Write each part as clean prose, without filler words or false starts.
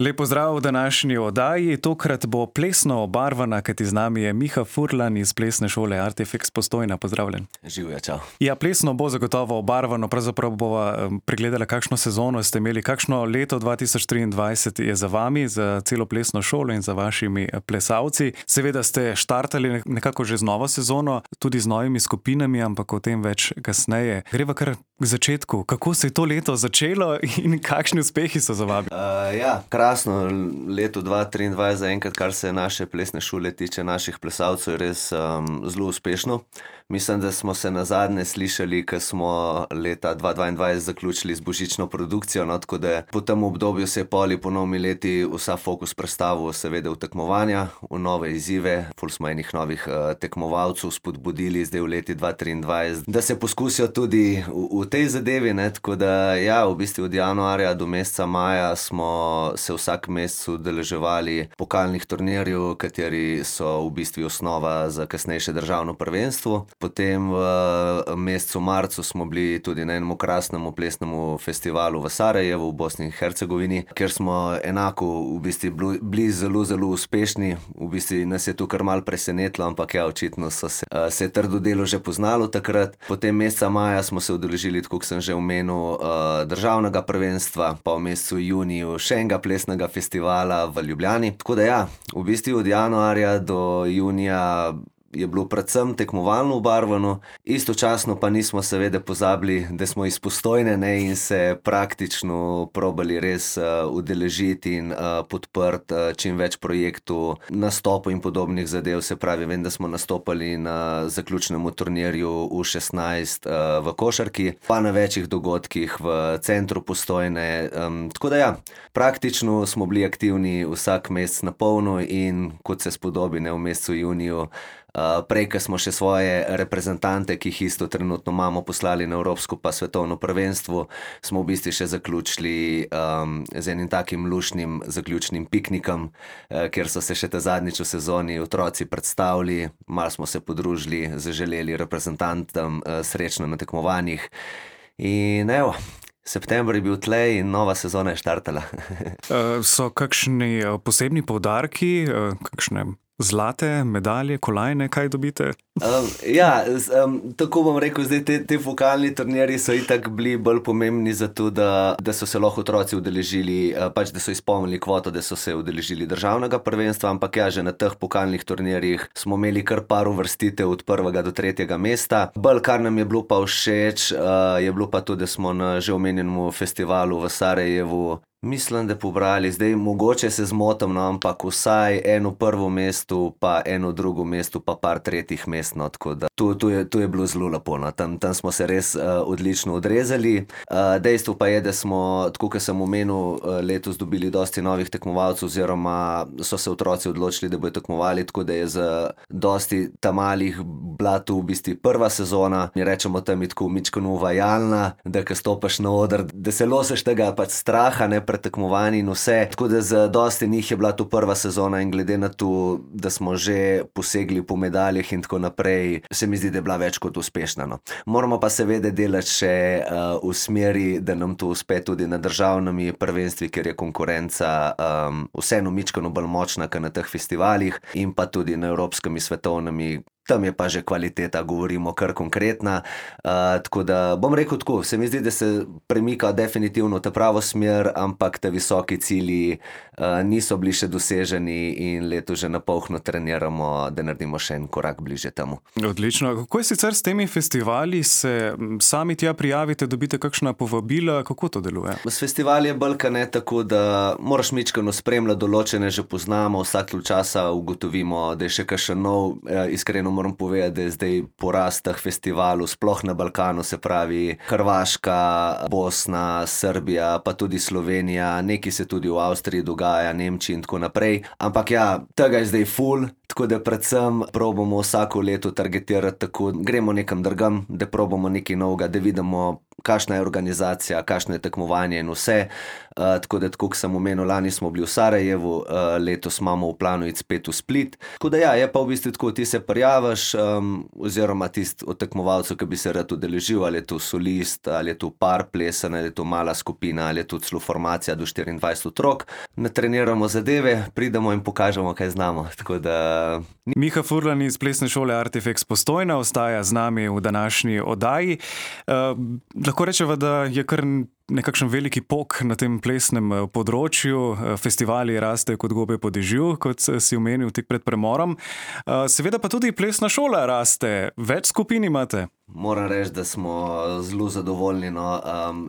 Lep pozdrav v današnji oddaji. Tokrat bo plesno obarvana, kajti z nami je Miha Furlan iz plesne šole Artifex Postojna. Pozdravljen. Živjo, čau. Ja, plesno bo zagotovo obarvano, pravzaprav bova pregledala, kakšno sezono ste imeli, kakšno leto 2023 je za vami, za celo plesno šolo in za vašimi plesalci. Seveda ste štartali nekako že z novo sezono, tudi z novimi skupinami, ampak o tem več kasneje. Greva kar k začetku. Kako se je to leto začelo in kakšni uspehi so za vami? Krasno leto 2023 zaenkrat, kar se naše plesne šole tiče, naših plesalcev, je res zelo uspešno. Mislim, da smo se nazadnje slišali, ko smo leta 2022 zaključili z božično produkcijo, no, tako da po tem obdobju se je po novimi leti vsa fokus prestavil seveda v tekmovanja, v nove izzive. Ful smo enih novih tekmovalcev spodbudili zdaj v leti 2023, da se poskusijo tudi v tej zadevi, ne, tako da ja, v bistvu od januarja do meseca maja smo se vsak mesec udeleževali pokalnih turnirjev, kateri so v bistvu osnova za kasnejše državno prvenstvo. Potem v mesecu marcu smo bili tudi na enem krasnem plesnem festivalu v Sarajevu v Bosni in Hercegovini, kjer smo enako v bistvu bili zelo, zelo uspešni. V bistvu nas je to kar malo presenetilo, ampak ja, očitno se je trdo delo že poznalo takrat. Potem meseca maja smo se udeležili, tako kot sem že omenil, državnega prvenstva, pa v mesecu juniju še enega plesnega festivala v Ljubljani. Tako da ja, v bistvu od januarja do junija je bilo predvsem tekmovalno obarvano, istočasno pa nismo seveda pozabili, da smo iz Postojne, ne, in se praktično probali res udeležiti in podprti čim več projektov, nastopov in podobnih zadev. Se pravi, vem, da smo nastopali na zaključnem turnirju U16 v košarki, pa na večjih dogodkih v centru Postojne. Tako da ja, praktično smo bili aktivni vsak mesec na polno in kot se spodobi, ne, v mesecu juniju, prej, ko smo še svoje reprezentante, ki jih isto trenutno imamo, poslali na evropsko pa svetovno prvenstvo, smo v bistvu še zaključili z enim takim luštnim zaključnim piknikom, kjer so se še ta zadnjič v sezoni otroci predstavili, malo smo se podružili, zaželeli reprezentantom srečno na tekmovanjih in evo, september je bil tlej in nova sezona je štartala. So kakšni posebni poudarki, kakšne zlate medalje, kolajne, kaj dobite? Tako bom rekel, zdaj te pokalni turnirji so itak bili bolj pomembni zato, da so se lahko otroci udeležili, pač da so izpolnili kvoto, da so se udeležili državnega prvenstva, ampak ja, že na teh pokalnih turnirjih smo imeli kar par uvrstitev od 1. do 3. mesta. Bolj, kar nam je bilo pa všeč, je bilo pa to, da smo na že omenjenem festivalu v Sarajevu, mislim, da pobrali, zdaj mogoče se zmotim, no, ampak vsaj eno prvo mesto, pa eno drugo mesto, pa par tretjih mest, no, tako da to je bilo zelo lepo, no. Tam smo se res odlično odrezali. Dejstvo pa je, da smo, tako kot sem omenil, letos dobili dosti novih tekmovalcev oziroma so se otroci odločili, da bodo tekmovali, tako da je za dosti ta malih bila to v bistvu prva sezona. Mi rečemo tam je tako mičkeno uvajalna, da ko stopaš na oder, da se losiš tega pač straha, ne, pred tekmovanji in vse. Tako da za dosti njih je bila to prva sezona in glede na to, da smo že posegli po medaljah in tako naprej, se mi zdi, da je bila več kot uspešna, no. Moramo pa seveda delati še v smeri, da nam to uspe tudi na državnimi prvenstvih, ker je konkurenca vseeno mičkeno bolj močna, kot na teh festivalih, in pa tudi na evropskimi svetovnimi. Tam je pa že kvaliteta, govorimo, kar konkretna. Tako da bom rekel tako, se mi zdi, da se premika definitivno v ta pravo smer, ampak te visoki cilji niso bili še doseženi in leto že na polno treniramo, da naredimo še en korak bliže temu. Odlično. Kako je sicer s temi festivali? Se sami tja prijavite, dobite kakšna povabila? Kako to deluje? S festivali je bolj ne tako, da moraš mičkeno spremljati, določene že poznamo, vsak časa ugotovimo, da je še kakšen nov, iskreno moram povedati, da je zdaj porast teh festivalov, sploh na Balkanu, se pravi Hrvaška, Bosna, Srbija, pa tudi Slovenija, nekaj se tudi v Avstriji dogaja, Nemčiji in tako naprej. Ampak ja, tega je zdaj ful, Tako da predvsem probamo vsako leto targetirati tako, gremo nekam drugam, da probamo nekaj novega, da vidimo, kakšna je organizacija, kakšno je tekmovanje in vse. Tako da, tako kot sem omenil, lani smo bili v Sarajevu, letos imamo v planu iti spet v Split. Tako da ja, je pa v bistvu tako, ti se prijaviš, oziroma tisti od tekmovalcev, ki bi se rad udeležil, ali je to solist, ali je to par plesen, ali je to mala skupina, ali je to celo formacija do 24 otrok. Natreniramo zadeve, pridemo in pokažemo, kaj znamo. Tako da... Miha Furlan iz Plesne šole Artifex Postojna ostaja z nami v današnji oddaji. Lahko rečeva, da je kar nekakšen veliki pok na tem plesnem področju. Festivali rastejo kot gobe po dežju, kot si omenil tik pred premorom. Seveda pa tudi plesna šola raste. Več skupin imate? Moram reči, da smo zelo zadovoljni,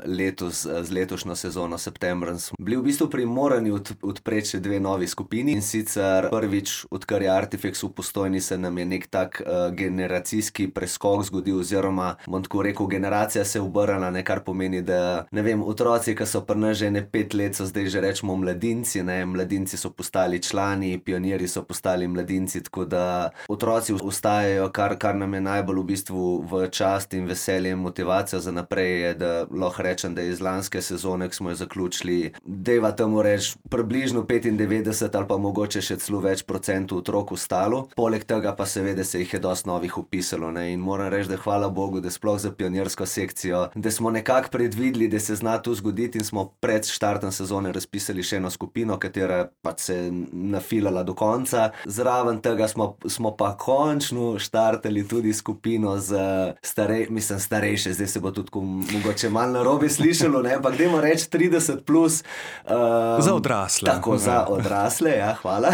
letos z letošnjo sezono septembra smo bili v bistvu primorani odpreti še 2 novi skupini, in sicer prvič, odkar je Artifex v Postojni, se nam je nek tak generacijski preskok zgodil, oziroma bom tako rekel, generacija se je obrnila, kar pomeni, da ne vem, otroci, ki so pri nas že 5 let, so zdaj že rečemo mladinci, mladinci so postali člani, pionirji so postali mladinci, tako da otroci ostajajo, kar nam je najbolj v bistvu v čast in veselje in motivacija za naprej je, da lahko rečem, da iz lanske sezone, ki smo jo zaključili, deva temu reči približno 95 ali pa mogoče še celo več procentov otrok ostalo. Poleg tega pa seveda se jih je dosti novih vpisalo, in moram reči, da hvala Bogu, da sploh za pionirsko sekcijo, da smo nekako predvideli, da se zna to zgoditi, in smo pred štartom sezone razpisali še eno skupino, katera pač se je nafilala do konca. Zraven tega smo pa končno štartali tudi skupino z starejše, zdaj se bo tudi mogoče malo narobe slišalo, ampak dajmo reči 30 plus. Za odrasle. Tako, za odrasle, ja, hvala.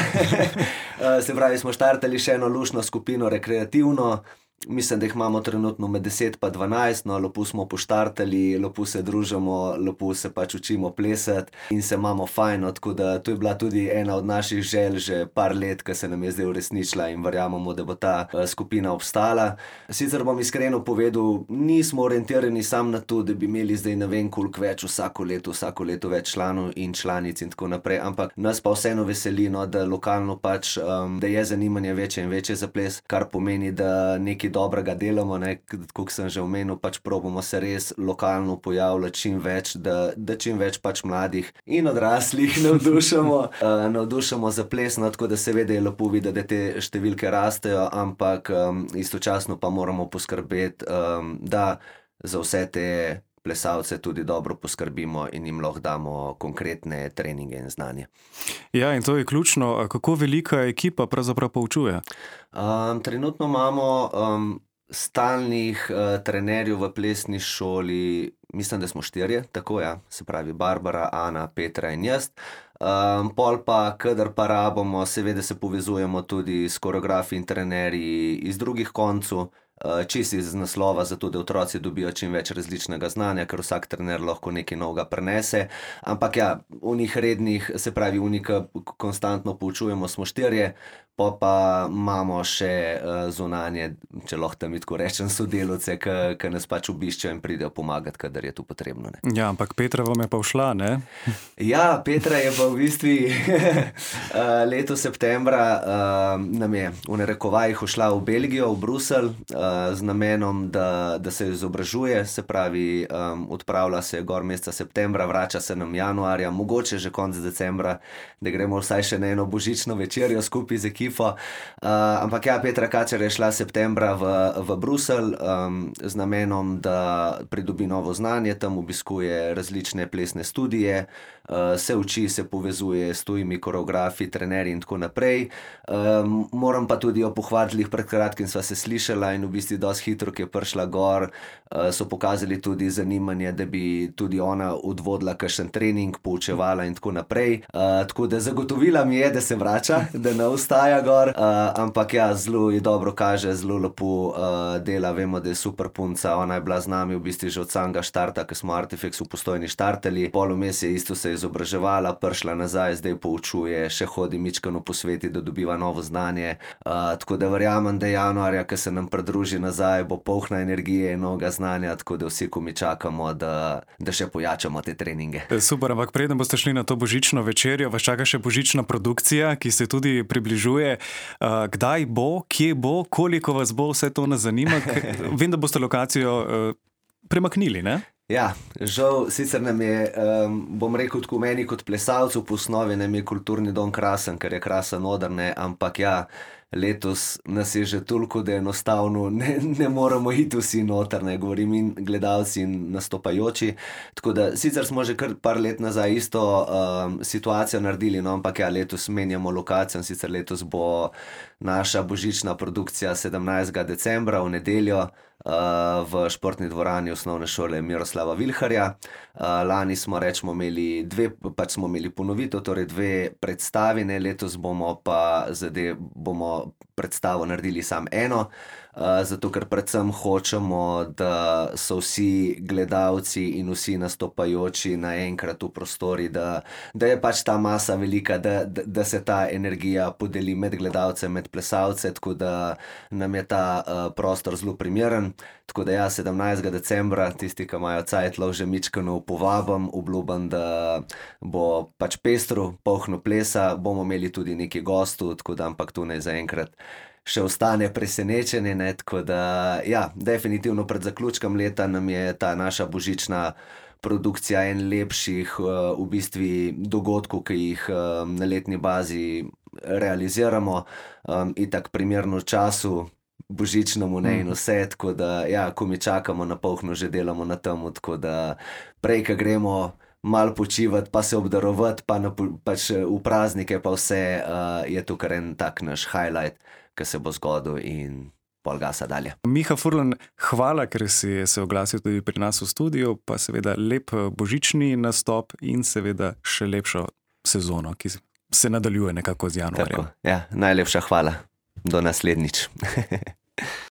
Se pravi, smo štartali še eno luštno skupino, rekreativno. Mislim, da jih imamo trenutno med 10 pa 12, lepo smo poštartali, lepo se družimo, lepo se pač učimo plesati in se imamo fajn, tako da to je bila tudi ena od naših želj že par let, ki se nam je zdaj uresničila, in verjamemo, da bo ta skupina obstala. Sicer bom iskreno povedal, nismo orientirani sam na to, da bi imeli zdaj ne vem koliko več vsako leto več članov in članic in tako naprej, ampak nas pa vseeno veseli, da lokalno pač, da je zanimanje večje in večje za ples, kar pomeni, da nekaj dobrega delamo, kot sem že omenil, pač probamo se res lokalno pojavljati čim več, da čim več pač mladih in odraslih navdušamo za ples, tako da seveda je lepo videti, da te številke rastejo, ampak istočasno pa moramo poskrbeti, da za vse te plesalce tudi dobro poskrbimo in jim lahko damo konkretne treninge in znanje. Ja, in to je ključno. Kako velika ekipa pravzaprav poučuje? Trenutno imamo stalnih trenerjev v plesni šoli, mislim, da smo 4, tako ja, se pravi Barbara, Ana, Petra in jaz. Pol pa, kadar pa rabimo, seveda se povezujemo tudi s koreografi in trenerji iz drugih koncev, čisto iz naslova, zato da otroci dobijo čim več različnega znanja, ker vsak trener lahko nekaj novega prenese. Ampak ja, unih rednih, se pravi unih, konstantno poučujemo, smo 4, pa imamo še zunanje, če lahko tam tako rečem, sodelavce, ki nas pač obiščejo in pridejo pomagati, kadar je to potrebno. Ja, ampak Petra vam je pa všla, ne? Ja, Petra je pa v bistvu leto septembra nam je v narekovajih všla v Belgijo, v Bruselj, z namenom, da se izobražuje, se pravi, odpravlja se gor meseca septembra, vrača se nam januarja, mogoče že konec decembra, da gremo vsaj še na eno božično večerjo skupaj z ekipo. Ampak ja, Petra Kačer je šla septembra v Bruselj z namenom, da pridobi novo znanje, tam obiskuje različne plesne studije, se uči, se povezuje s tujimi koreografi, trenerji in tako naprej. Moram pa tudi jo pohvaliti, pred kratkim sva se slišala in v bistvu dosti hitro, ki je prišla gor, so pokazali tudi zanimanje, da bi tudi ona odvodila kakšen trening, poučevala in tako naprej. Tako da zagotovila mi je, da se vrača, da ne ostaja gor, ampak ja, zelo ji dobro kaže, zelo lepo dela, vemo, da je super punca, ona je bila z nami v bistvu že od samega štarta, ko smo Artifex v Postojni štartali, pol vmes je isto se izobraževala, prišla nazaj, zdaj poučuje, še hodi mičkeno po svetu, da dobiva novo znanje. Tako da verjamem, da januarja, ko se nam pridruži nazaj, bo polna energije in novega znanja, tako da vsi, ko mi čakamo, da še pojačamo te treninge. Super, ampak preden boste šli na to božično večerjo, vas čaka še božična produkcija, ki se tudi približuje. Kdaj bo, kje bo, koliko vas bo, vse to nas zanima. Vem, da boste lokacijo premaknili, ne? Ja, žal, sicer nam je, bom rekel tako meni kot plesalcu, po osnovi nam je kulturni dom krasen, ker je krasen oder, ne, ampak ja, letos nas je že toliko, da enostavno ne moremo iti vsi noter, ne, govorim in gledalci in nastopajoči. Tako da sicer smo že kar par let nazaj isto situacijo naredili, no, ampak ja, letos menjamo lokacijo, sicer letos bo naša božična produkcija 17. decembra v nedeljo v športni dvorani osnovne šole Miroslava Vilharja. Lani smo imeli smo imeli ponovitev, torej 2 predstavi, ne, letos bomo pa bomo predstavo naredili samo eno, zato ker predvsem hočemo, da so vsi gledalci in vsi nastopajoči naenkrat v prostori, da je pač ta masa velika, da se ta energija podeli med gledalce, med plesalce, tako da nam je ta prostor zelo primeren. Tako da ja, 17. decembra, tisti, ki imajo cajt, lahko že mičkeno povabim, obljubim, da bo pač pestro, polno plesa, bomo imeli tudi nekaj gostov, tako da ampak tu ne zaenkrat še ostane presenečenje, ne, tako da ja, definitivno pred zaključkom leta nam je ta naša božična produkcija en lepših v bistvu dogodkov, ki jih na letni bazi realiziramo, itak primerno času božičnemu, ne, in vse, tako da ja, ko mi čakamo na polno, že delamo na tem, tako da prej, ko gremo malo počivati, pa se obdarovati, pač v praznike pa vse, je to kar en tak naš highlight, ki se bo zgodil in pol gasa dalje. Miha Furlan, hvala, ker si se oglasil tudi pri nas v studiu, pa seveda lep božični nastop in seveda še lepšo sezono, ki se nadaljuje nekako z januarjem. Tako, ja, najlepša hvala. Do naslednjič.